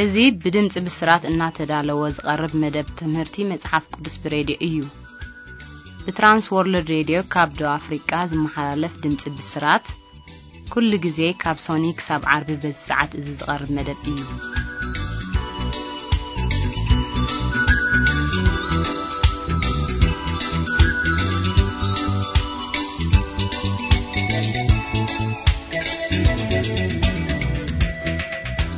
እዚ ብድምጺ ብስራት እናተዳለወ ዝቐርብ መደብ ትምህርቲ መጽሓፍ ቅዱስ ብሬድዮ እዩ። ብትራንስ ወርልድ ሬድዮ ካብ ደቡብ ኣፍሪቃ ዝመሓላለፍ ድምጺ ብስራት፣ ኩሉ ግዜ ካብ ሶኒ ክሳብ ዓርቢ በዚ ሰዓት እዚ ዝቐርብ መደብ እዩ።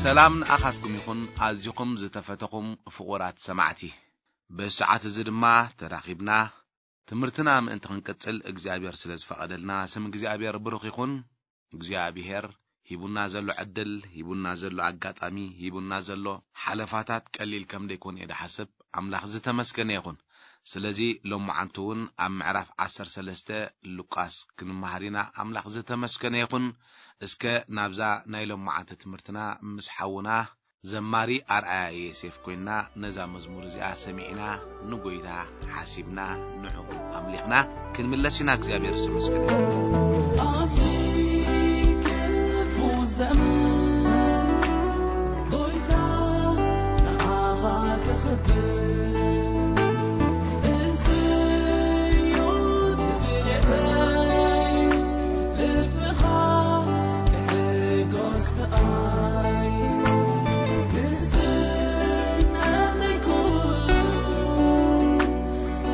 ሰላም ንኣኻትኩም ይኹን፣ ኣዚኹም ዝተፈተኹም ፍቑራት ሰማዕቲ። ብሰዓት እዚ ድማ ተራኺብና ትምህርትና ምእንቲ ክንቅጽል እግዚኣብሔር ስለ ዝፈቐደልና ስም እግዚኣብሔር ብሩኽ ይኹን። እግዚኣብሔር ሂቡና ዘሎ ዕድል፣ ሂቡና ዘሎ ኣጋጣሚ፣ ሂቡና ዘሎ ሓለፋታት ቀሊል ከም ደይኮነ እየ ድሓስብ። ኣምላኽ ዝተመስገነ ይኹን። ስለዚ ሎመዓንቲ እውን ኣብ ምዕራፍ ዓሰርተ ሰለስተ ሉቃስ ክንመሃር ኢና። ኣምላኽ ዝተመስገነ ይኹን። እስከ ናብዛ ናይ ሎመዓንቲ ትምህርትና ምስ ሓውና ዘማሪ ኣርኣያ ዮሴፍ ኮይንና ነዛ መዝሙር እዚኣ ሰሚዕና ንጎይታ ሓሲብና ንዕኡ ኣምሊኽና ክንምለስ ኢና። እግዚኣብሔር ዝተመስገነ ይኹን። ኣብዚ ክፉ ዘመን ጎይታ ንዓኻ ክኽብር፣ እዚ እዩ ድሌተይ፣ ልብኻ ክሕጎስ ብኣይ። ንስነተይ ኩሉ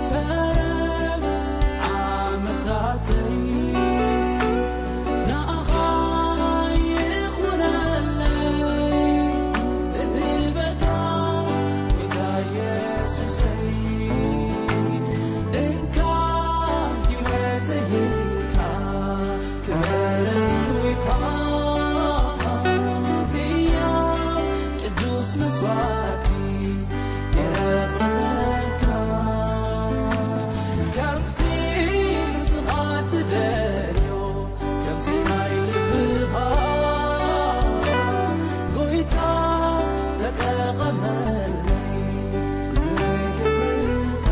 ተረፍ ዓመታተይ ንኣኻ ይኹነለይ እህበካ ጎይታ ኢየሱሰይ። እንካ ህይወተይ እንካ ክበረሉ ኢኻ ብያ ቅዱስ መስዋዕቲ የረክበልካ። ከምቲ ንስኻ ትደልዮ፣ ከምቲ ናይ ልብኻ፣ ጎይታ ተጠቐመለይ ንክብርኻ።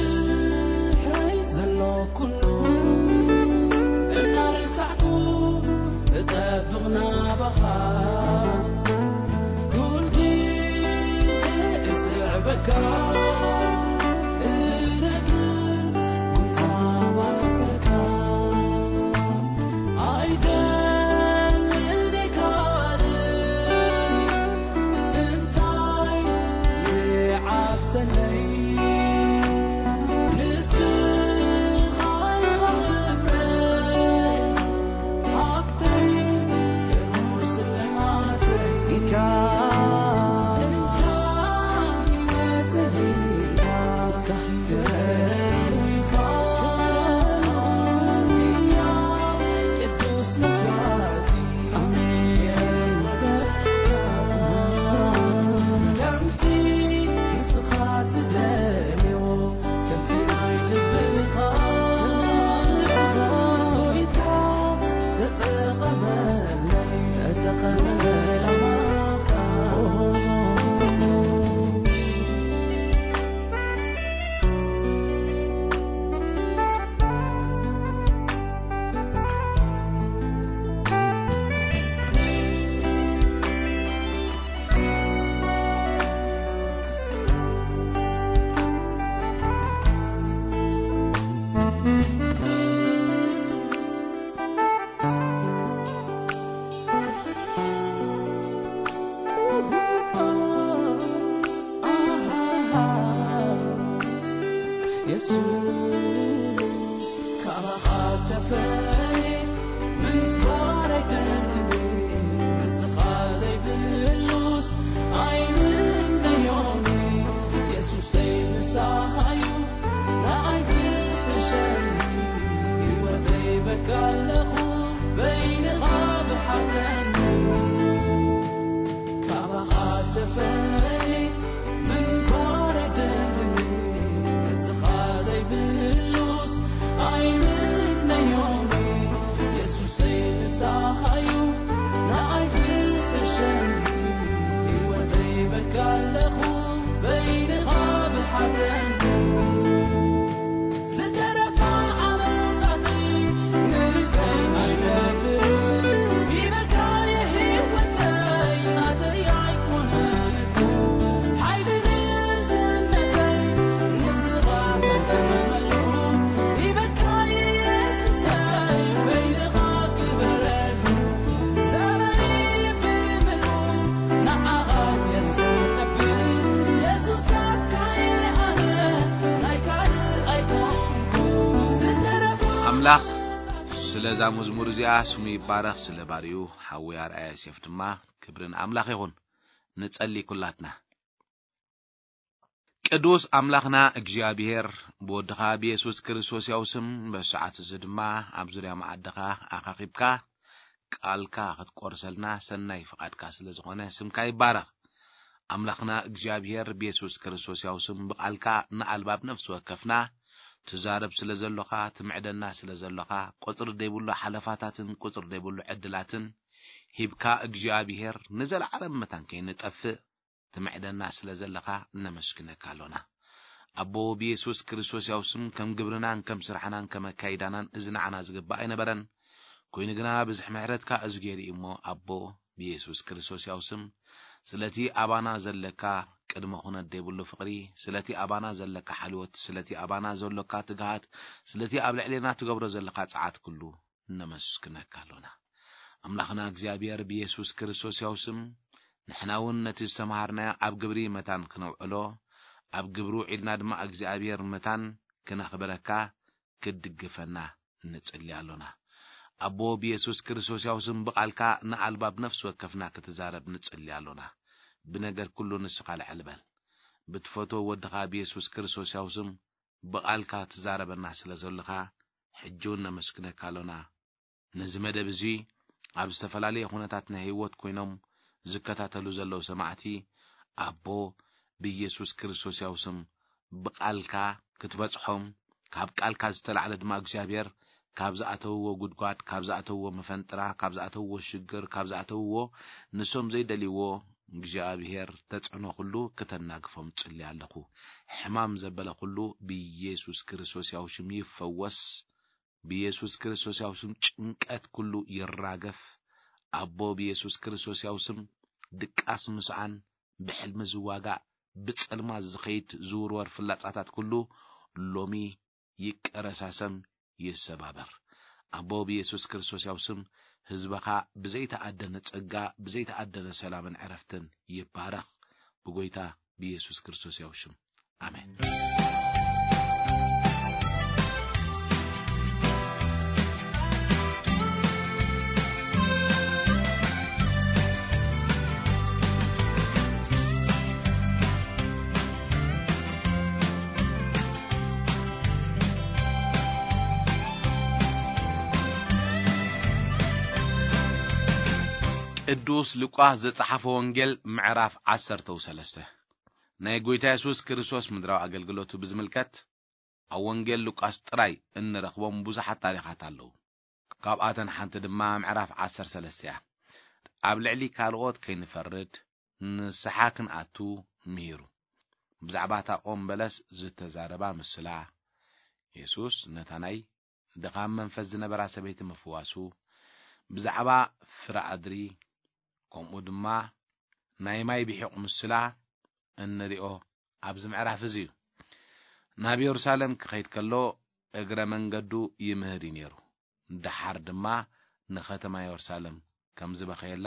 ብድሕረይ ዘሎ ኩሉ እናረሳዕኩ እጠብቕ ናባኻ። ኩል ግዜ እስዕበካ፣ እረግጽ ጎይታ ዋሰካ። ኣይደልን ካልእ እንታይ ይዓብሰለይ፣ ንስኻ ኢኻ ክብረይ፣ ሃብተይ ክቡር ስልማተይ። እንካ፣ እንካ ህይወተይ፣ እንካ ህይወተይ፣ ቅዱስ መስዋዕቲ። ኣሜን። ከምቲ ንስኻ ትደልዮ፣ ከምቲ ናይ ልብኻ፣ ጎይታ ተጠቐመለይ፣ ተጠቐመለይ። የሱስ፣ ካባኻ ተፈልየ ምንባር ኣይደልን፣ ንስኻ ዘይብሉስ ኣይምነዮን። የሱሰይ፣ ንስኻ እዩ ንዓይ ዝሕሸኒ፣ ህይወተይ በካ ኣለኹ በይንኻ ብሓተኒ። ሳኻዩ ንኣይ ዝሕሸኒ፣ ህይወተይ በካ ኣለኹ በይንኻ ብሓተኒ። ዝተረፋ ዓመታተይ ንንሰይ ኣይነብር፣ ሂበካ የህይወተይ ናተይ ኣይኮነት። ሓይሊ ንእስነተይ ንስኻ ተተመመሉ፣ ሂበካ የሱሰይ በይንኻ ክበረሉ። ዘመነይ ብምሉ ንዓኻ የሰነብል፣ የሱስ ናትካ እየ ኣነ፣ ናይ ካልእ ኣይኮንኩ። ዝተረፈ ኣምላኽ ስለ እዛ መዝሙር እዚኣ ስሙ ይባረኽ፣ ስለ ባርዩ ሓዊ ኣርኣያ ዮሴፍ ድማ ክብሪ ንኣምላኽ ይኹን። ንጸሊ ኩላትና። ቅዱስ ኣምላኽና እግዚኣብሔር፣ ብወድኻ ብየሱስ ክርስቶስ ያው ስም በዚ ሰዓት እዚ ድማ ኣብ ዙርያ መኣድኻ ኣኻኺብካ ቃልካ ክትቆርሰልና ሰናይ ፍቓድካ ስለ ዝኾነ ስምካ ይባረኽ። ኣምላኽና እግዚኣብሔር ብየሱስ ክርስቶስ ያው ስም ብቓልካ ንኣልባብ ነፍሲ ወከፍና ትዛረብ ስለ ዘሎኻ፣ ትምዕደና ስለ ዘሎኻ፣ ቁጽሪ ዘይብሉ ሓለፋታትን ቁጽሪ ዘይብሉ ዕድላትን ሂብካ እግዚኣብሔር ንዘለዓለም መታን ከይንጠፍእ ትምዕደና ስለ ዘለኻ ነመስግነካ ኣሎና። ኣቦ ብየሱስ ክርስቶስ ያው ስም ከም ግብርናን ከም ስራሕናን ከም ኣካይዳናን እዚ ንዓና ዝግባእ ኣይነበረን። ኮይኑ ግና ብዝሕ ምሕረትካ እዚ ገይሩ እዩ እሞ ኣቦ ብየሱስ ክርስቶስ ያው ስም ስለቲ ኣባና ዘለካ ቅድመ ኩነት ዘይብሉ ፍቕሪ፣ ስለቲ ኣባና ዘለካ ሓልዮት፣ ስለቲ ኣባና ዘሎካ ትግሃት፣ ስለቲ ኣብ ልዕሌና ትገብሮ ዘለካ ጸዓት ኩሉ ነመስግነካ ኣሎና። ኣምላኽና እግዚኣብሔር ብየሱስ ክርስቶስ ያው ስም ንሕና እውን ነቲ ዝተምሃርናዮ ኣብ ግብሪ መታን ክነውዕሎ፣ ኣብ ግብሪ ውዒልና ድማ እግዚኣብሔር መታን ክነኽብረካ ክትድግፈና ንጽሊ ኣሎና። ኣቦ ብየሱስ ክርስቶስ ያው ስም ብቓልካ ንኣልባብ ነፍሲ ወከፍና ክትዛረብ ንጽሊ ኣሎና። ብነገር ኩሉ ንስኻ ልዕል በል። ብትፈትዎ ወድኻ ብየሱስ ክርስቶስ ያው ስም ብቓልካ ትዛረበና ስለ ዘለኻ ሕጂ እውን ነመስግነካ ኣሎና። ነዚ መደብ እዚ ኣብ ዝተፈላለየ ኩነታት ናይ ህይወት ኮይኖም ዝከታተሉ ዘለዉ ሰማዕቲ ኣቦ ብኢየሱስ ክርስቶስ ያው ስም ብቓልካ ክትበጽሖም ካብ ቃልካ ዝተላዕለ ድማ እግዚኣብሔር ካብ ዝኣተውዎ ጉድጓድ፣ ካብ ዝኣተውዎ መፈንጥራ፣ ካብ ዝኣተውዎ ሽግር፣ ካብ ዝኣተውዎ ንሶም ዘይደልይዎ እግዚኣብሔር ተጽዕኖ ኩሉ ክተናግፎም ጽሊ ኣለኹ። ሕማም ዘበለ ኩሉ ብኢየሱስ ክርስቶስ ያው ሽም ይፈወስ። ብኢየሱስ ክርስቶስ ያው ስም ጭንቀት ኩሉ ይራገፍ። ኣቦ ብኢየሱስ ክርስቶስ ያው ስም ድቃስ ምስዓን፣ ብሕልሚ ዝዋጋእ፣ ብጸልማት ዝኸይድ ዝውርወር ፍላጻታት ኩሉ ሎሚ ይቀረሳሰም፣ ይሰባበር። ኣቦ ብኢየሱስ ክርስቶስ ያው ስም ህዝበኻ ብዘይተኣደነ ጸጋ፣ ብዘይተኣደነ ሰላምን ዕረፍትን ይባረኽ። ብጎይታ ብኢየሱስ ክርስቶስ ያው ሽም። ኣሜን። ቅዱስ ሉቃስ ዘጸሓፈ ወንጌል ምዕራፍ ዓሰርተ ሰለስተ። ናይ ጎይታ የሱስ ክርስቶስ ምድራዊ ኣገልግሎቱ ብዝምልከት ኣብ ወንጌል ሉቃስ ጥራይ እንረኽቦም ብዙሓት ታሪኻት ኣለዉ። ካብኣተን ሓንቲ ድማ ምዕራፍ ዓሰርተ ሰለስተ እያ። ኣብ ልዕሊ ካልኦት ከይንፈርድ ንስሓ ክንኣቱ ምሂሩ። ብዛዕባ እታ ኦም በለስ ዝተዛረባ ምስላ፣ የሱስ ነታ ናይ ድኻም መንፈስ ዝነበራ ሰበይቲ ምፍዋሱ፣ ብዛዕባ ፍረ ኣድሪ፣ ከምኡ ድማ ናይ ማይ ብሒቕ ምስላ እንሪኦ ኣብዚ ምዕራፍ እዚ እዩ። ናብ የሩሳሌም ክኸይድ ከሎ እግረ መንገዱ ይምህር እዩ ነይሩ። ደሓር ድማ ንኸተማ የሩሳሌም ከም ዝበኸየላ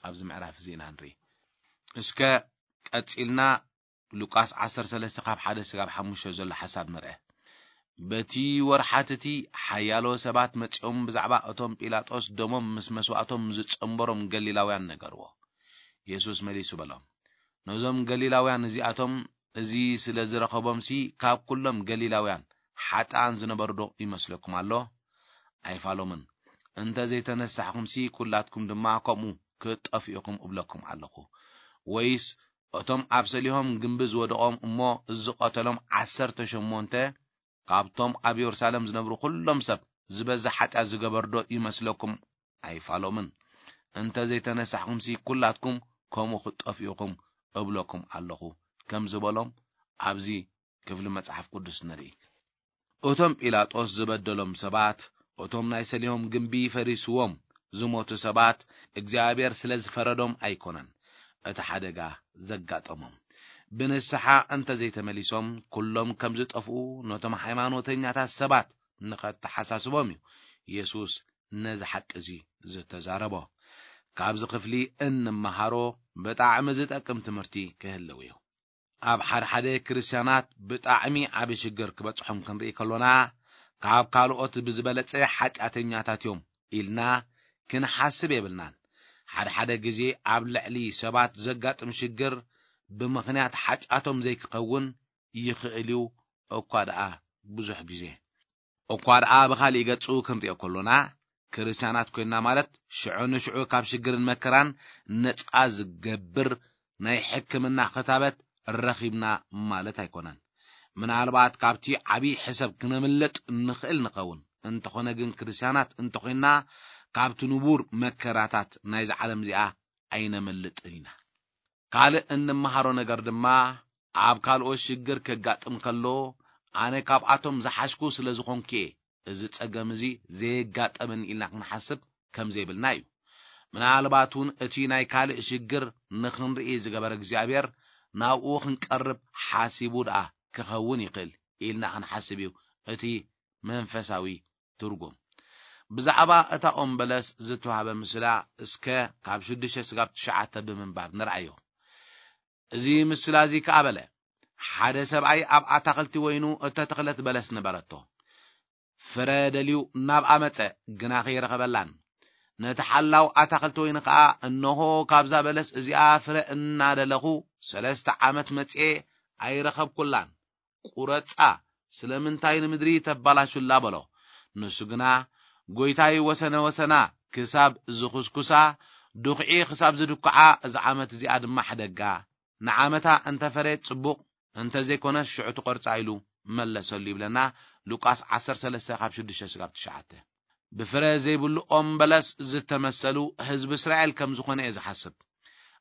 ኣብዚ ምዕራፍ እዚ ኢና ንርኢ። እስከ ቀጺልና ሉቃስ ዓሰርተ ሰለስተ ካብ ሓደ ስጋብ ሓሙሽተ ዘሎ ሓሳብ ንርአ። በቲ ወርሓት እቲ ሓያሎ ሰባት መጺኦም ብዛዕባ እቶም ጲላጦስ ደሞም ምስ መስዋእቶም ዝጸንበሮም ገሊላውያን ነገርዎ። የሱስ መሊሱ በሎም፣ ነዞም ገሊላውያን እዚኣቶም እዚ ስለ ዝረኸቦምሲ ካብ ኩሎም ገሊላውያን ሓጥኣን ዝነበሩ ዶ ይመስለኩም ኣሎ? ኣይፋሎምን። እንተ ዘይተነሳሕኩምሲ ኩላትኩም ድማ ከምኡ ክትጠፍኡ ኢኹም እብለኩም ኣለኹ። ወይስ እቶም ኣብ ሰሊሆም ግምቢ ዝወደቖም እሞ ዝቐተሎም ዓሰርተ ሸሞንተ ካብቶም ኣብ የሩሳሌም ዝነብሩ ኩሎም ሰብ ዝበዝሕ ሓጢኣት ዝገበሩ ዶ ይመስለኩም ኣይፋሎምን። እንተ ዘይተነሳሕኩምሲ፣ ኩላትኩም ከምኡ ክትጠፍኡ ኢኹም እብለኩም ኣለኹ፣ ከም ዝበሎም ኣብዚ ክፍሊ መጽሓፍ ቅዱስ ንርኢ። እቶም ጲላጦስ ዝበደሎም ሰባት፣ እቶም ናይ ሰሊሆም ግምቢ ፈሪስዎም ዝሞቱ ሰባት፣ እግዚኣብሔር ስለ ዝፈረዶም ኣይኮነን እቲ ሓደጋ ዘጋጠሞም። ብንስሓ እንተ ዘይተመሊሶም፣ ኩሎም ከም ዝጠፍኡ ነቶም ሃይማኖተኛታት ሰባት ንኸተሓሳስቦም እዩ የሱስ ነዚ ሓቂ እዚ ዝተዛረቦ። ካብዚ ክፍሊ እንመሃሮ ብጣዕሚ ዝጠቅም ትምህርቲ ክህልው እዩ። ኣብ ሓደ ሓደ ክርስትያናት ብጣዕሚ ዓቢ ሽግር ክበጽሖም ክንርኢ ከሎና፣ ካብ ካልኦት ብዝበለጸ ሓጢኣተኛታት እዮም ኢልና ክንሓስብ የብልናን። ሓደ ሓደ ግዜ ኣብ ልዕሊ ሰባት ዘጋጥም ሽግር ብምኽንያት ሓጢኣቶም ዘይክኸውን ይኽእል እዩ፣ እኳ ደኣ ብዙሕ ግዜ። እኳ ደኣ ብኻልእ ገጹ ክንሪኦ ከሎና፣ ክርስትያናት ኮይንና ማለት ሽዑ ንሽዑ ካብ ሽግርን መከራን ነጻ ዝገብር ናይ ሕክምና ክታበት ረኺብና ማለት ኣይኮነን። ምናልባት ካብቲ ዓብዪ ሕሰብ ክነምልጥ ንኽእል ንኸውን። እንተኾነ ግን ክርስትያናት እንተኾይንና ካብቲ ንቡር መከራታት ናይዛ ዓለም እዚኣ ኣይነምልጥን ኢና። ካልእ እንመሃሮ ነገር ድማ ኣብ ካልኦት ሽግር ከጋጥም ከሎ ኣነ ካብኣቶም ዝሓሽኩ ስለ ዝኾንኩ እየ እዚ ጸገም እዚ ዘየጋጠመኒ ኢልና ክንሓስብ ከም ዘይብልና እዩ። ምናልባት እውን እቲ ናይ ካልእ ሽግር ንኽንርኢ ዝገበረ እግዚኣብሔር ናብኡ ክንቀርብ ሓሲቡ ደኣ ክኸውን ይኽእል ኢልና ክንሓስብ እዩ እቲ መንፈሳዊ ትርጉም። ብዛዕባ እታ ኦም በለስ ዝተዋህበ ምስላ እስከ ካብ ሽዱሽተ ስጋብ ትሽዓተ ብምንባብ ንርኣዮ። እዚ ምስላ እዚ ከኣ በለ፣ ሓደ ሰብኣይ ኣብ ኣታኽልቲ ወይኑ እተተኽለት በለስ ነበረቶ። ፍረ ደልዩ ናብኣ መጸ፣ ግና ከይረኸበላን። ነቲ ሓላው ኣታኽልቲ ወይኒ ከኣ፣ እንሆ፣ ካብዛ በለስ እዚኣ ፍረ እናደለኹ ሰለስተ ዓመት መጽኤ ኣይረኸብኩላን። ቁረጻ፣ ስለምንታይ ንምድሪ ተባላሹላ በሎ። ንሱ ግና፣ ጎይታይ፣ ወሰነ ወሰና ክሳብ ዝኹስኩሳ፣ ድኹዒ ክሳብ ዝድኩዓ፣ እዛ ዓመት እዚኣ ድማ ሕደጋ። ንዓመታ እንተ ፈረየት ጽቡቕ፣ እንተ ዘይኮነ ሽዑ ትቆርጻ ኢሉ መለሰሉ ይብለና ሉቃስ ዓሰርተ ሰለስተ ካብ ሽዱሽተ ስጋብ ትሽዓተ። ብፍረ ዘይብሉ ኦም በለስ ዝተመሰሉ ህዝቢ እስራኤል ከም ዝኾነ እየ ዝሓስብ።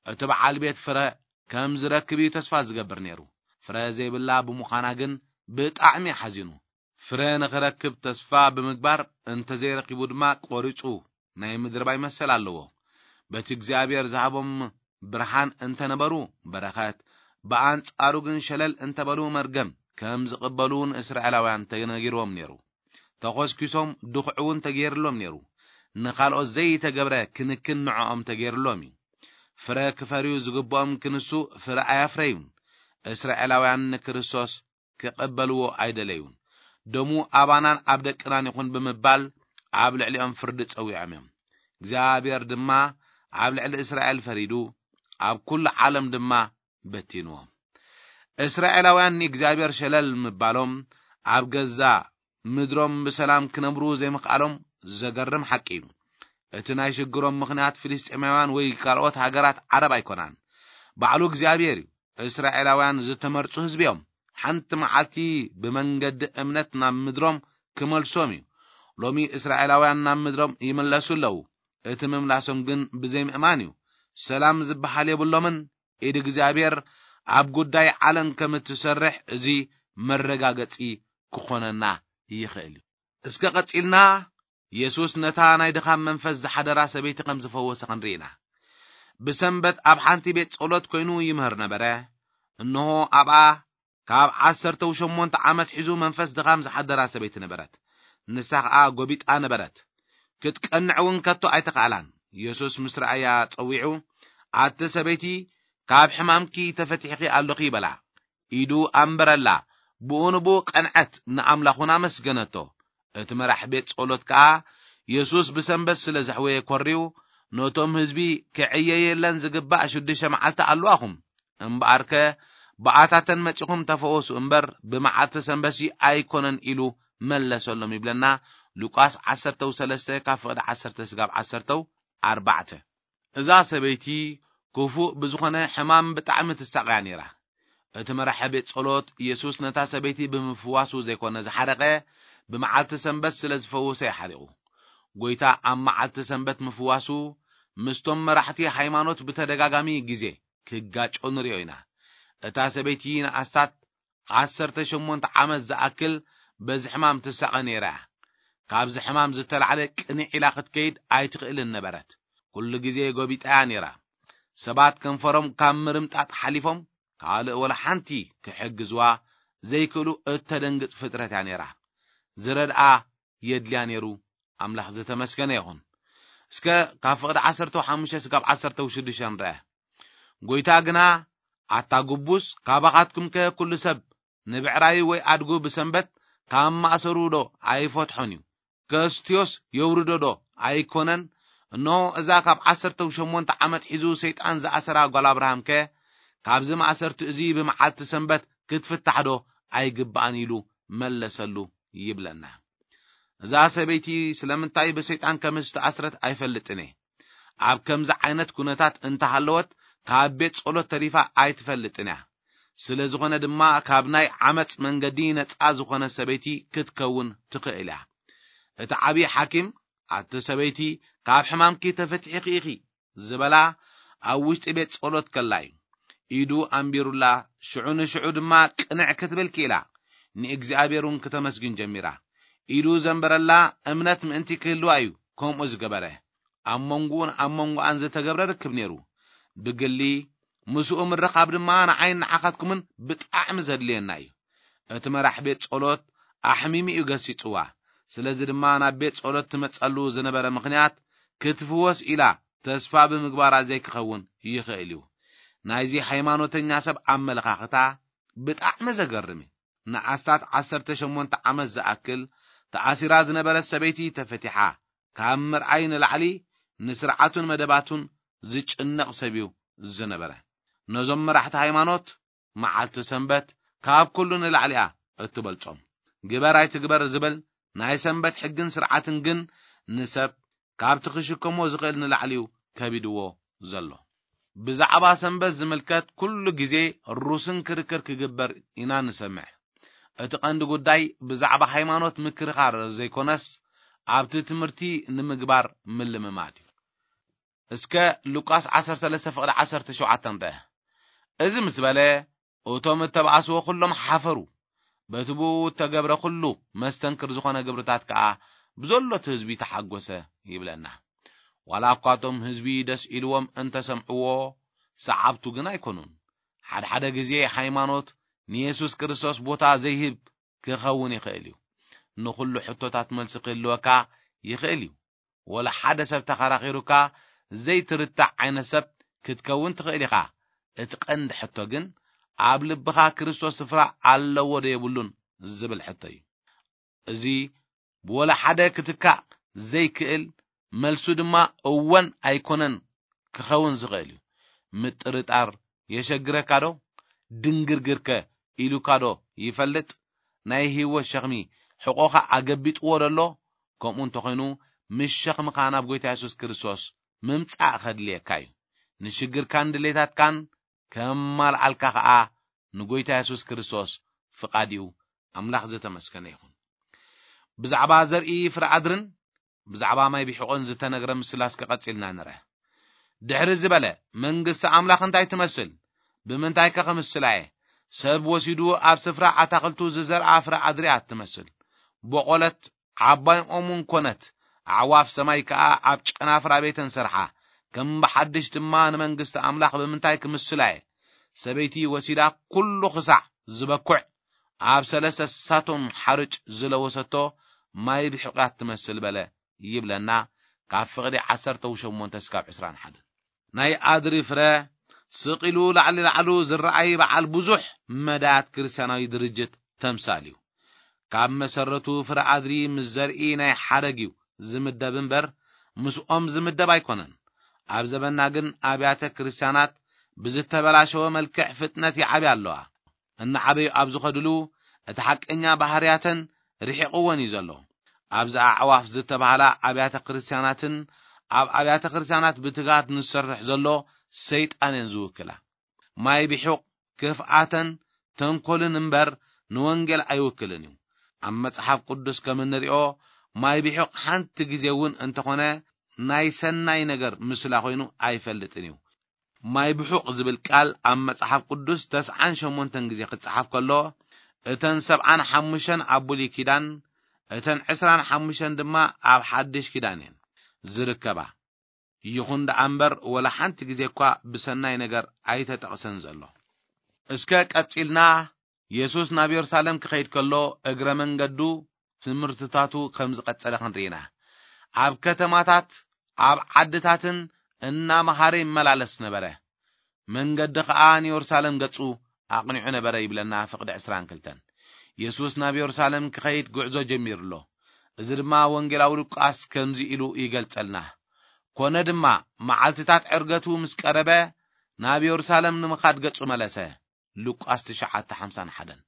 እቲ በዓል ቤት ፍረ ከም ዝረክብ እዩ ተስፋ ዝገብር ነይሩ። ፍረ ዘይብላ ብምዃና ግን ብጣዕሚ ሓዚኑ። ፍረ ንኽረክብ ተስፋ ብምግባር እንተዘይረኪቡ ድማ ቆሪጹ ናይ ምድርባይ መሰል ኣለዎ። በቲ እግዚኣብሔር ዝሃቦም ብርሃን እንተነበሩ በረኸት፣ ብኣንጻሩ ግን ሸለል እንተበሉ መርገም ከም ዝቕበሉ ንእስራኤላውያን ተነጊርዎም ነይሩ። ተኾስኪሶም ድኹዒ እውን ተገይርሎም ነይሩ። ንኻልኦት ዘይተገብረ ክንክን ንዕኦም ተገይርሎም እዩ። ፍረ ክፈርዩ ዝግብኦም ክንሱ ፍረ ኣያፍረዩን። እስራኤላውያን ንክርስቶስ ክቐበልዎ ኣይደለዩን። ደሙ ኣባናን ኣብ ደቅናን ይኹን ብምባል ኣብ ልዕሊኦም ፍርዲ ጸዊዖም እዮም። እግዚኣብሔር ድማ ኣብ ልዕሊ እስራኤል ፈሪዱ፣ ኣብ ኩሉ ዓለም ድማ በቲንዎም። እስራኤላውያን ንእግዚኣብሔር ሸለል ምባሎም ኣብ ገዛ ምድሮም ብሰላም ክነብሩ ዘይምኽኣሎም ዘገርም ሓቂ እዩ። እቲ ናይ ሽግሮም ምኽንያት ፍልስጤማውያን ወይ ካልኦት ሃገራት ዓረብ ኣይኮናን። ባዕሉ እግዚኣብሔር እዩ። እስራኤላውያን ዝተመርጹ ህዝቢ እዮም። ሓንቲ መዓልቲ ብመንገዲ እምነት ናብ ምድሮም ክመልሶም እዩ። ሎሚ እስራኤላውያን ናብ ምድሮም ይምለሱ ኣለዉ። እቲ ምምላሶም ግን ብዘይምእማን እዩ። ሰላም ዝበሃል የብሎምን። ኢድ እግዚኣብሔር ኣብ ጉዳይ ዓለም ከም እትሰርሕ እዚ መረጋገጺ ክኾነና ይኽእል እዩ። እስከ ቀጺልና፣ የሱስ ነታ ናይ ድኻም መንፈስ ዝሓደራ ሰበይቲ ከም ዝፈወሰ ክንርኢ ኢና። ብሰንበት ኣብ ሓንቲ ቤት ጸሎት ኮይኑ ይምህር ነበረ። እንሆ፣ ኣብኣ ካብ ዓሰርተው ሸሞንተ ዓመት ሒዙ መንፈስ ድኻም ዝሓደራ ሰበይቲ ነበረት። ንሳ ኸኣ ጎቢጣ ነበረት። ክትቀንዕ እውን ከቶ ኣይተኻእላን። የሱስ ምስ ረኣያ ጸዊዑ፣ "ኣቲ ሰበይቲ፣ ካብ ሕማምኪ ተፈቲሕኺ ኣሎኺ" በላ። ኢዱ ኣንበረላ። ብኡ ንብኡ ቀንዐት፣ ንኣምላኽ እውን ኣመስገነቶ። እቲ መራሕ ቤት ጸሎት ከኣ፣ የሱስ ብሰንበት ስለ ዘሕወየ ኮርዩ፣ "ነቶም ህዝቢ ክዕየየለን ዝግባእ ሽዱሽተ መዓልቲ ኣለዋኹም፣ እምበኣርከ ብኣታተን መጺኹም ተፈወሱ እምበር፣ ብመዓልቲ ሰንበትሲ ኣይኮነን" ኢሉ መለሰሎም ይብለና። ሉቃስ ዓሰርተው ሰለስተ ካብ ፍቕዲ ዓሰርተ ስጋብ ዓሰርተው ኣርባዕተ። እዛ ሰበይቲ ክፉእ ብዝኾነ ሕማም ብጣዕሚ ትሳቐያ ነይራ። እቲ መራሒ ቤት ጸሎት፣ የሱስ ነታ ሰበይቲ ብምፍዋሱ ዘይኮነ ዝሓረቐ፣ ብመዓልቲ ሰንበት ስለ ዝፈወሰ እዩ ሓሪቑ። ጎይታ ኣብ መዓልቲ ሰንበት ምፍዋሱ ምስቶም መራሕቲ ሃይማኖት ብተደጋጋሚ ግዜ ክጋጮ ንሪኦ ኢና። እታ ሰበይቲ ንኣስታት ዓሰርተ ሸሞንተ ዓመት ዝኣክል በዚ ሕማም ትሳቐ ነይራ እያ። ካብዚ ሕማም ዝተላዕለ ቅንዕ ኢላ ክትከይድ ኣይትኽእልን ነበረት። ኩሉ ግዜ ጎቢጣ እያ ነይራ። ሰባት ከንፈሮም ካብ ምርምጣጥ ሓሊፎም ካልእ ወላ ሓንቲ ክሕግዝዋ ዘይክእሉ እተደንግጽ ፍጥረት እያ ነይራ። ዝረድኣ የድልያ ነይሩ። ኣምላኽ ዝተመስገነ ይኹን። እስከ ካብ ፍቕዲ ዓሰርተ ሓሙሽተ ስጋብ ዓሰርተ ሽዱሽተ ንርአ። ጎይታ ግና፣ ኣታ ግቡስ፣ ካባኻትኩምከ ኩሉ ሰብ ንብዕራዩ ወይ ኣድጉ ብሰንበት ካብ ማእሰሩ ዶ ኣይፈትሖን እዩ? ከስትዮስ የውርዶ ዶ ኣይኮነን? እንሆ፣ እዛ ካብ ዓሰርተ ሸሞንተ ዓመት ሒዙ ሰይጣን ዝኣሰራ ጓል ኣብርሃምከ፣ ካብዚ ማእሰርቲ እዚ ብመዓልቲ ሰንበት ክትፍታሕ ዶ ኣይግባኣን? ኢሉ መለሰሉ ይብለና። እዛ ሰበይቲ ስለምንታይ ብሰይጣን ከም ዝተኣስረት ኣይፈልጥን እየ። ኣብ ከምዚ ዓይነት ኩነታት እንተሃለወት ካብ ቤት ጸሎት ተሪፋ ኣይትፈልጥን እያ። ስለ ዝኾነ ድማ ካብ ናይ ዓመጽ መንገዲ ነጻ ዝኾነ ሰበይቲ ክትከውን ትኽእል እያ። እቲ ዓብዪ ሓኪም፣ ኣቲ ሰበይቲ፣ ካብ ሕማምኪ ተፈቲሕኺ ኢኺ ዝበላ ኣብ ውሽጢ ቤት ጸሎት ከላ እዩ። ኢዱ ኣንቢሩላ፣ ሽዑ ንሽዑ ድማ ቅንዕ ክትብል ክኢላ፣ ንእግዚኣብሔር እውን ክተመስግን ጀሚራ። ኢዱ ዘንበረላ እምነት ምእንቲ ክህልዋ እዩ ከምኡ ዝገበረ። ኣብ መንጎኡን ኣብ መንጎኣን ዝተገብረ ርክብ ነይሩ። ብግሊ ምስኡ ምርኻብ ድማ ንዓይን ንዓኻትኩምን ብጣዕሚ ዘድልየና እዩ። እቲ መራሕ ቤት ጸሎት ኣሕሚሙ እዩ ገሲጽዋ። ስለዚ ድማ ናብ ቤት ጸሎት ትመጸሉ ዝነበረ ምኽንያት ክትፍወስ ኢላ ተስፋ ብምግባራ ዘይክኸውን ይኽእል እዩ። ናይዚ ሃይማኖተኛ ሰብ ኣመለኻኽታ ብጣዕሚ ዘገርም እዩ። ንኣስታት ዓሰርተ ሸሞንተ ዓመት ዝኣክል ተኣሲራ ዝነበረት ሰበይቲ ተፈቲሓ፣ ካብ ምርኣይ ንላዕሊ ንስርዓቱን መደባቱን ዝጭነቕ ሰብ እዩ ዝነበረ። ነዞም መራሕቲ ሃይማኖት መዓልቲ ሰንበት ካብ ኩሉ ንላዕሊ እያ እትበልጾም። ግበር ኣይትግበር ዝብል ናይ ሰንበት ሕግን ስርዓትን ግን ንሰብ ካብቲ ክሽከሞ ዝኽእል ንላዕሊ እዩ ከቢድዎ ዘሎ። ብዛዕባ ሰንበት ዝምልከት ኩሉ ግዜ ሩስን ክርክር ክግበር ኢና ንሰምዕ። እቲ ቀንዲ ጉዳይ ብዛዕባ ሃይማኖት ምክርኻር ዘይኮነስ፣ ኣብቲ ትምህርቲ ንምግባር ምልምማድ እዩ። እስከ ሉቃስ ዓሰርተ ሰለስተ ፍቕዲ ዓሰርተ ሸውዓተ ንርአ። እዚ ምስ በለ፣ እቶም እተባእስዎ ኩሎም ሓፈሩ። በቲ ብኡ እተገብረ ኩሉ መስተንክር ዝኾነ ግብርታት ከኣ ብዘሎ እቲ ህዝቢ ተሓጎሰ ይብለና። ዋላ እኳ እቶም ህዝቢ ደስ ኢልዎም እንተሰምዕዎ፣ ሰዓብቱ ግን ኣይኮኑን። ሓድሓደ ግዜ ሃይማኖት ንየሱስ ክርስቶስ ቦታ ዘይህብ ክኸውን ይኽእል እዩ። ንኹሉ ሕቶታት መልሲ ክህልወካ ይኽእል እዩ። ወላ ሓደ ሰብ ተኸራኺሩካ ዘይትርታዕ ዓይነት ሰብ ክትከውን ትኽእል ኢኻ። እቲ ቀንዲ ሕቶ ግን፣ ኣብ ልብኻ ክርስቶስ ስፍራ ኣለዎ ዶ የብሉን ዝብል ሕቶ እዩ። እዚ ብወላ ሓደ ክትካእ ዘይክእል፣ መልሱ ድማ እወን ኣይኮነን ክኸውን ዝኽእል እዩ። ምጥርጣር የሸግረካ ዶ? ድንግርግርከ ኢሉካ ዶ ይፈልጥ? ናይ ህይወት ሸኽሚ ሕቖኻ ኣገቢጥዎ ዶ ኣሎ? ከምኡ እንተኾይኑ፣ ምስ ሸኽምኻ ናብ ጎይታ የሱስ ክርስቶስ ምምጻእ ኸድልየካ እዩ። ንሽግርካን ድሌታትካን ከማልኣልካ ኸኣ ንጎይታ የሱስ ክርስቶስ ፍቓድ እዩ። ኣምላኽ ዝተመስገነ ይኹን። ብዛዕባ ዘርኢ ፍረ ኣድርን ብዛዕባ ማይ ቢሕቆን ዝተነግረ ምስላ እስከ ቀጺልና ንርአ። ድሕሪ ዝበለ፣ መንግስቲ ኣምላኽ እንታይ ትመስል? ብምንታይ ከ ክምስላ እየ? ሰብ ወሲዱ ኣብ ስፍራ ኣታኽልቱ ዝዘርኣ ፍረ ኣድሪ እያ ትመስል። ቦቖለት፣ ዓባይ ኦም እውን ኮነት፣ ኣዕዋፍ ሰማይ ከኣ ኣብ ጨናፍራ ቤተን ሰርሓ። ከም ብሓድሽ ድማ ንመንግስቲ ኣምላኽ ብምንታይ ክምስላ እየ? ሰበይቲ ወሲዳ ኩሉ ክሳዕ ዝበኩዕ ኣብ ሰለስተ ሳቶም ሓርጭ ዝለወሰቶ ማይ ብሕቑያት ትመስል በለ ይብለና፣ ካብ ፍቕዲ ዓሰርተ ሸሞንተ እስካብ ዕስራን ሓደን። ናይ ኣድሪ ፍረ ስቕ ኢሉ ላዕሊ ላዕሉ ዝረኣይ በዓል ብዙሕ መዳያት ክርስትያናዊ ድርጅት ተምሳል እዩ። ካብ መሰረቱ ፍረ ኣድሪ ምስ ዘርኢ ናይ ሓረግ እዩ ዝምደብ እምበር፣ ምስኦም ዝምደብ ኣይኮነን። ኣብ ዘበና ግን ኣብያተ ክርስትያናት ብዝተበላሸወ መልክዕ ፍጥነት ይዓብያ ኣለዋ። እናዓበዩ ኣብ ዝኸድሉ፣ እቲ ሓቀኛ ባህርያተን ርሒቕወን እዩ ዘሎ። ኣብዚ ኣዕዋፍ ዝተባህላ ኣብያተ ክርስትያናትን ኣብ ኣብያተ ክርስትያናት ብትግሃት ንዝሰርሕ ዘሎ ሰይጣን እየን ዝውክላ። ማይ ቢሑቕ ክፍኣተን ተንኮልን እምበር ንወንጌል ኣይውክልን እዩ። ኣብ መጽሓፍ ቅዱስ ከም እንሪኦ፣ ማይ ብሑቕ ሓንቲ ግዜ እውን እንተኾነ ናይ ሰናይ ነገር ምስላ ኮይኑ ኣይፈልጥን እዩ። ማይ ብሑቕ ዝብል ቃል ኣብ መጽሓፍ ቅዱስ ተስዓን ሸሞንተን ግዜ ክጸሓፍ ከሎ፣ እተን ሰብዓን ሓሙሽተን ኣብ ብሉይ ኪዳን፣ እተን ዕስራን ሓሙሽተን ድማ ኣብ ሓድሽ ኪዳን እየን ዝርከባ። ይኹን ደኣ እምበር፣ ወላ ሓንቲ ግዜ እኳ ብሰናይ ነገር ኣይተጠቕሰን ዘሎ። እስከ ቀጺልና፣ የሱስ ናብ የሩሳሌም ክኸይድ ከሎ፣ እግረ መንገዱ ትምህርትታቱ ከም ዝቐጸለ ክንርኢ ኢና። ኣብ ከተማታት፣ ኣብ ዓድታትን እናመሃረ ይመላለስ ነበረ። መንገዲ ኸኣ ንየሩሳሌም ገጹ ኣቕኒዑ ነበረ ይብለና ፍቕዲ ዕስራን ክልተን። የሱስ ናብ የሩሳሌም ክኸይድ ጉዕዞ ጀሚሩ ኣሎ። እዚ ድማ ወንጌላዊ ሉቃስ ከምዚ ኢሉ ይገልጸልና። ኮነ ድማ፣ መዓልትታት ዕርገቱ ምስ ቀረበ፣ ናብ የሩሳሌም ንምኻድ ገጹ መለሰ። ሉቃስ ትሽዓተ ሓምሳን ሓደን።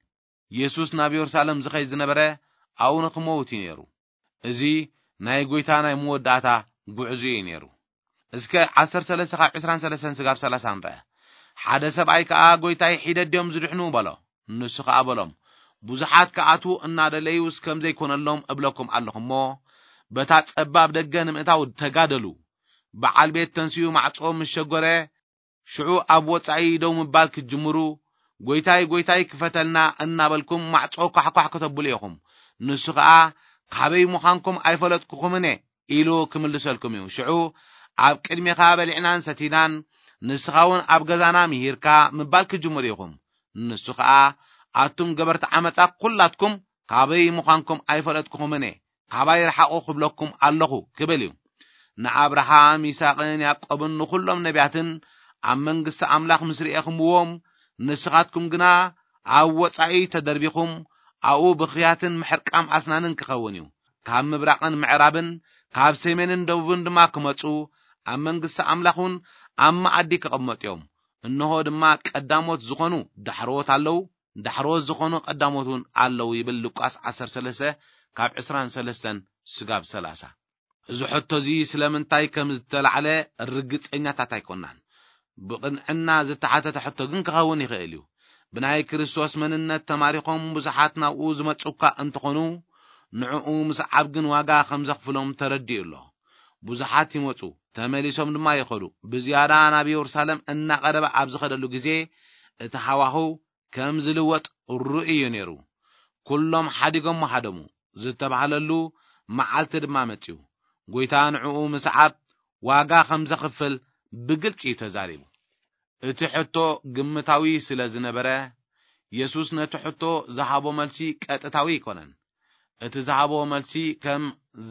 የሱስ ናብ የሩሳሌም ዝኸይድ ዝነበረ ኣብኡ ንኽመውት እዩ ነይሩ። እዚ ናይ ጐይታ ናይ መወዳእታ ጉዕዞ እዩ ነይሩ። እስከ ዓሰርተ ሰለስተ ካብ ዕስራን ሰለስተን ስጋብ ሰላሳ ንርአ። ሓደ ሰብኣይ ከኣ፣ "ጐይታይ፣ ሒደት ድዮም ዝድሕኑ?" በሎ። ንሱ ኸኣ በሎም፣ "ብዙሓት ክኣትዉ እናደለዩስ ከም ዘይኮነሎም እብለኩም ኣለኹ እሞ፣ በታ ጸባብ ደገ ንምእታው ተጋደሉ። በዓል ቤት ተንሲኡ ማዕጾ ምስ ሸጎረ፣ ሽዑ ኣብ ወጻኢ ደው ምባል ክትጅምሩ፣ 'ጐይታይ፣ ጐይታይ፣ ክፈተልና' እናበልኩም ማዕጾ ኳሕኳሕ ከተብሉ ኢኹም። ንሱ ኸኣ፣ 'ካበይ ምዃንኩም ኣይፈለጥኩኹምን እየ' ኢሉ ክምልሰልኩም እዩ። ሽዑ፣ 'ኣብ ቅድሜኻ በሊዕናን ሰቲናን፣ ንስኻ እውን ኣብ ገዛና ምሂርካ' ምባል ክትጅምሩ ኢኹም። ንሱ ኸኣ፣ 'ኣቱም ገበርቲ ዓመጻ ኲላትኩም፣ ካበይ ምዃንኩም ኣይፈለጥኩኹምን እየ፣ ካባይ ርሓቑ ክብለኩም ኣለኹ' ክብል እዩ። ንኣብርሃም፣ ይስሐቅን ያዕቆብን ንኹሎም ነቢያትን ኣብ መንግስቲ ኣምላኽ ምስ ርኤኹምዎም፣ ንስኻትኩም ግና ኣብ ወጻኢ ተደርቢኹም፣ ኣብኡ ብኽያትን ምሕርቃም ኣስናንን ክኸውን እዩ። ካብ ምብራቕን ምዕራብን፣ ካብ ሰሜንን ደቡብን ድማ ክመጹ፣ ኣብ መንግስቲ ኣምላኽ እውን ኣብ መኣዲ ክቕመጡ እዮም። እንሆ ድማ ቀዳሞት ዝኾኑ ዳሕረዎት ኣለዉ፣ ዳሕረዎት ዝኾኑ ቀዳሞት እውን ኣለዉ ይብል ሉቃስ ዓሰርተ ሰለስተ ካብ ዕስራን ሰለስተን ስጋብ ሰላሳ። እዚ ሕቶ እዚ ስለምንታይ ከም ዝተላዕለ ርግጸኛታት ኣይኮናን። ብቕንዕና ዝተሓተተ ሕቶ ግን ክኸውን ይኽእል እዩ። ብናይ ክርስቶስ መንነት ተማሪኾም ብዙሓት ናብኡ ዝመጹ እኳ እንተኾኑ፣ ንዕኡ ምስዓብ ግን ዋጋ ከም ዘኽፍሎም ተረዲኡ ኣሎ። ብዙሓት ይመጹ፣ ተመሊሶም ድማ ይኸዱ። ብዝያዳ ናብ የሩሳሌም እናቐረበ ኣብ ዝኸደሉ ግዜ፣ እቲ ሃዋህው ከም ዝልወጥ ርኡይ እዩ ነይሩ። ኩሎም ሓዲጎም ሃደሙ ዝተባህለሉ መዓልቲ ድማ መጺኡ። ጐይታ ንዕኡ ምስዓብ ዋጋ ከም ዘኽፍል ብግልጺ እዩ ተዛሪቡ። እቲ ሕቶ ግምታዊ ስለ ዝነበረ፣ የሱስ ነቲ ሕቶ ዝሃቦ መልሲ ቀጥታዊ ኣይኮነን። እቲ ዝሃቦ መልሲ ከም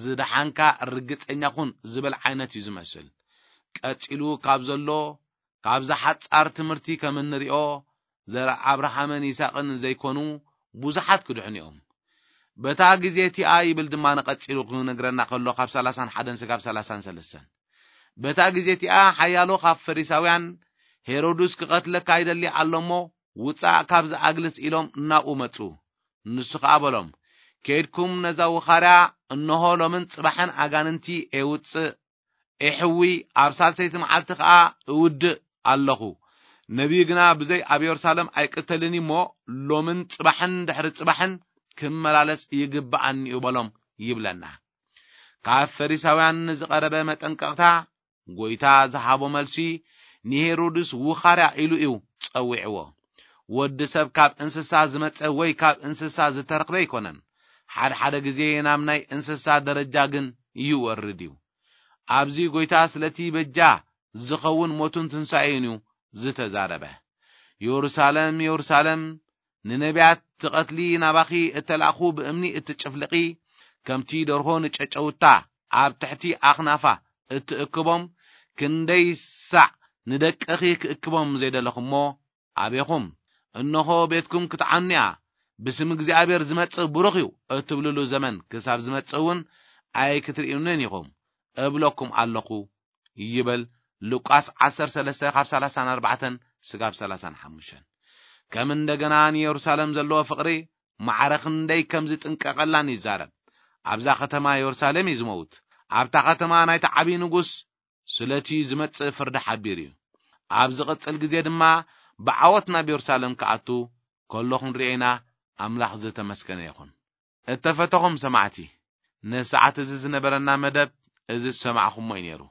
"ዝደሓንካ ርግጸኛ ኩን" ዝብል ዓይነት እዩ ዝመስል። ቀጺሉ ካብ ዘሎ፣ ካብዛ ሓጻር ትምህርቲ ከም እንሪኦ፣ ዘርኢ ኣብርሃምን ይስሐቅን ዘይኮኑ ብዙሓት ክድሕኑ እዮም። በታ ግዜ እቲኣ ይብል ድማ ንቐጺሉ ክነግረና ከሎ ካብ ሰላሳን ሓደን ስጋብ ሰላሳን ሰለስተን። በታ ግዜ እቲኣ ሓያሎ ካብ ፈሪሳውያን፣ "ሄሮድስ ክቐትለካ ይደሊ ኣሎ እሞ፣ ውጻእ ካብዚ ኣግልስ" ኢሎም ናብኡ መጹ። ንሱ ኸኣ በሎም፣ "ኬድኩም ነዛ ውኻርያ፣ እንሆ ሎምን ጽባሕን ኣጋንንቲ ኤውጽእ፣ ኤሕዊ፣ ኣብ ሳልሰይቲ መዓልቲ ኸኣ እውድእ ኣለኹ። ነቢይ ግና ብዘይ ኣብ የሩሳሌም ኣይቅተልን እሞ፣ ሎምን ጽባሕን ድሕሪ ጽባሕን ክመላለስ ይግብኣኒ እዩ" በሎም ይብለና። ካብ ፈሪሳውያን ንዝቐረበ መጠንቀቕታ፣ ጐይታ ዝሃቦ መልሲ ንሄሮድስ ውኻርያ ኢሉ እዩ ጸዊዕዎ። ወዲ ሰብ ካብ እንስሳ ዝመጸ ወይ ካብ እንስሳ ዝተረኽበ ኣይኮነን። ሓደ ሓደ ግዜ ናብ ናይ እንስሳ ደረጃ ግን ይወርድ እዩ። ኣብዚ ጐይታ ስለቲ በጃ ዝኸውን ሞቱን ትንሳኤን እዩ ዝተዛረበ። "የሩሳሌም፣ የሩሳሌም፣ ንነቢያት ትቐትሊ፣ ናባኺ እተላእኹ ብእምኒ እትጭፍልቒ፣ ከምቲ ደርሆ ንጨጨውታ ኣብ ትሕቲ ኣኽናፋ እትእክቦም፣ ክንደይ ሳዕ ንደቅኺ ክእክቦም ዘይደለኹሞ ኣቤኹም። እንሆ ቤትኩም ክትዓኑ እያ፣ ብስም እግዚኣብሔር ዝመጽእ ብሩኽ እዩ እትብልሉ ዘመን ክሳብ ዝመጽእ እውን ኣይክትርእዩንን ኢኹም እብለኩም ኣለኹ" ይብል ሉቃስ ዓሰርተ ሰለስተ ካብ ሰላሳን ኣርባዕተን ስጋብ ሰላሳን ሓሙሽተን። ከም እንደገና ንየሩሳሌም ዘለዎ ፍቕሪ ማዕረ ክንደይ ከም ዝጥንቀቐላን ይዛረብ። ኣብዛ ከተማ የሩሳሌም እዩ ዝመውት። ኣብታ ከተማ ናይቲ ዓብዪ ንጉስ ስለቲ ዝመጽእ ፍርዲ ሓቢሩ እዩ። ኣብ ዝቕጽል ግዜ ድማ ብዓወት ናብ የሩሳሌም ክኣቱ ከሎ ክንርእዮ ኢና። ኣምላኽ ዝተመስገነ ይኹን። እተፈተኹም ሰማዕቲ፣ ንሰዓት እዚ ዝነበረና መደብ እዚ ዝሰማዕኹሞ እዩ ነይሩ።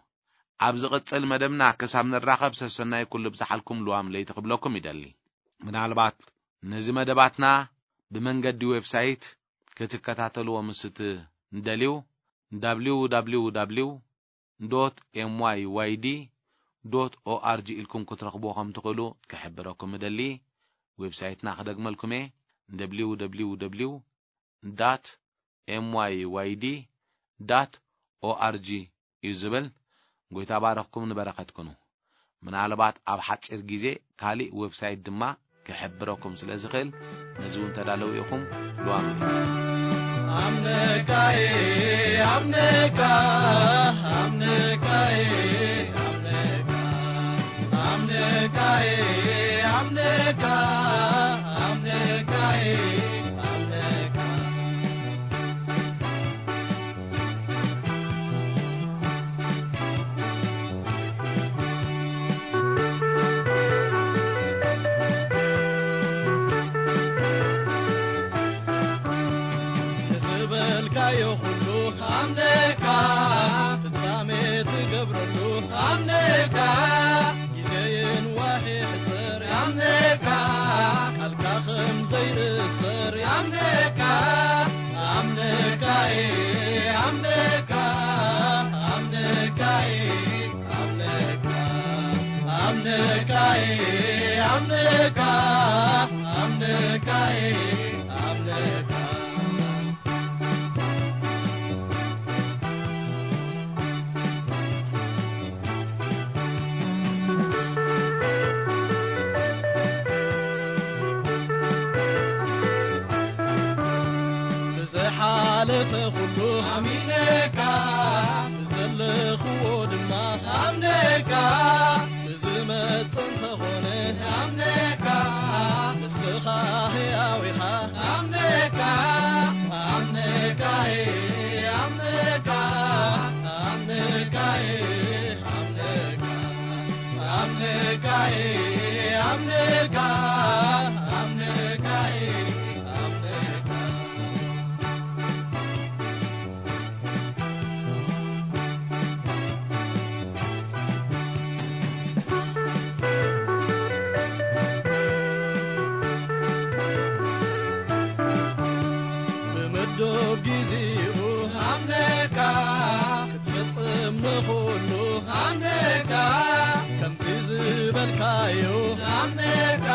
ኣብ ዝቕጽል መደብና ክሳብ ንራኸብ ሰሰናይ ኩሉ ብዝሓልኩም ልዋም ለይቲ ክብለኩም ይደሊ። ምናልባት ነዚ መደባትና ብመንገዲ ዌብሳይት ክትከታተልዎ ምስ እትደልዩ፣ www dot myd dot org ኢልኩም ክትረኽብዎ ከም ትኽእሉ ክሕብረኩም እደሊ። ዌብሳይትና ክደግመልኩም እየ፣ www dot myd dot org እዩ ዝብል። ጎይታ ባረኽኩም፣ ንበረኸት ኩኑ። ምናልባት ኣብ ሓጺር ግዜ ካሊእ ዌብሳይት ድማ ክሕብረኩም ስለ ዝኽእል፣ ነዚ እውን ተዳለዉ ኢኹም። ልዋም ኣምነካይ፣ ኣምነካ፣ ኣምነካይ፣ ኣምነካ፣ ኣምነካይ፣ ኣምነካ፣ ኣምነካይ፣ ኣምነካ። ዝበልካዮ ኩሉ ኣምነካ፣ ፍጻሜ ትገብረሉ ኣምነካ፣ ግዜን ዋሒ ሕጽር ኣምነካ፣ ቃልካ ከም ዘይእሰር ኣምነካ፣ ኣምነካ፣ ኣምነካ፣ ኣምነካ፣ ኣምነካ፣ ኣምነካ፣ ኣምነካ፣ ኣምነካ፣ ኣምነካ። ብዝሓለፈ ኩሉ ኣሚነካ፣ ብዘለኽዎ ድማ ኣምነካ፣ ብዝመጽእ እንተኾነ ኣምነካ፣ ንስኻ ሕያው ኢኻ ኣምነካ፣ ኣምነካ፣ ኣምነካ፣ ኣምነካ፣ ኣምነካ፣ ኣምነካ፣ ኣምነካ፣ ኣምነካ፣ ኣምነካ። ብምዱብ ግዜኡ ኣምነካ፣ ክትፍጽም ንኹሉ ኣምነካ፣ ከምቲ ዝበልካዮ ኣምነካ፣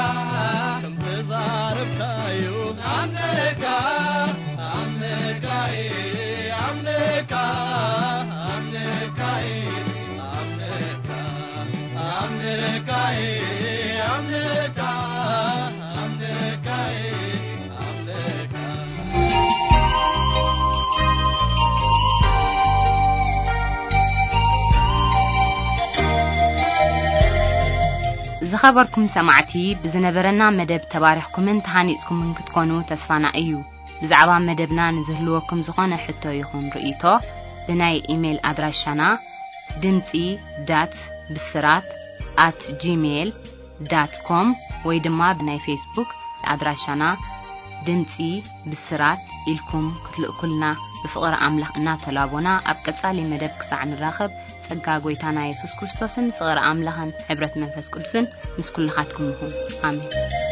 ከምቲ ዛረብካዮ ኣምነካ፣ ኣምነካ፣ ኣምነካ፣ ኣምነካ፣ ኣምነካ፣ ኣምነካ፣ ኣምነካ፣ ኣምነካ፣ ኣምነካ። ዝኸበርኩም ሰማዕቲ፣ ብዝነበረና መደብ ተባሪኽኩምን ተሃኒጽኩምን ክትኮኑ ተስፋና እዩ። ብዛዕባ መደብና ንዝህልወኩም ዝኾነ ሕቶ ይኹን ርእይቶ፣ ብናይ ኢሜይል ኣድራሻና ድምጺ ዳት ብስራት ኣት ጂሜይል ዳት ኮም ወይ ድማ ብናይ ፌስቡክ ኣድራሻና ድምጺ ብስራት ኢልኩም ክትልእኩልና ብፍቕሪ ኣምላኽ እናተላቦና፣ ኣብ ቀጻሊ መደብ ክሳዕ ንራኸብ፣ ጸጋ ጐይታና የሱስ ክርስቶስን ፍቕሪ ኣምላኽን ሕብረት መንፈስ ቅዱስን ምስ ኩልኻትኩም ይኹን። ኣሜን።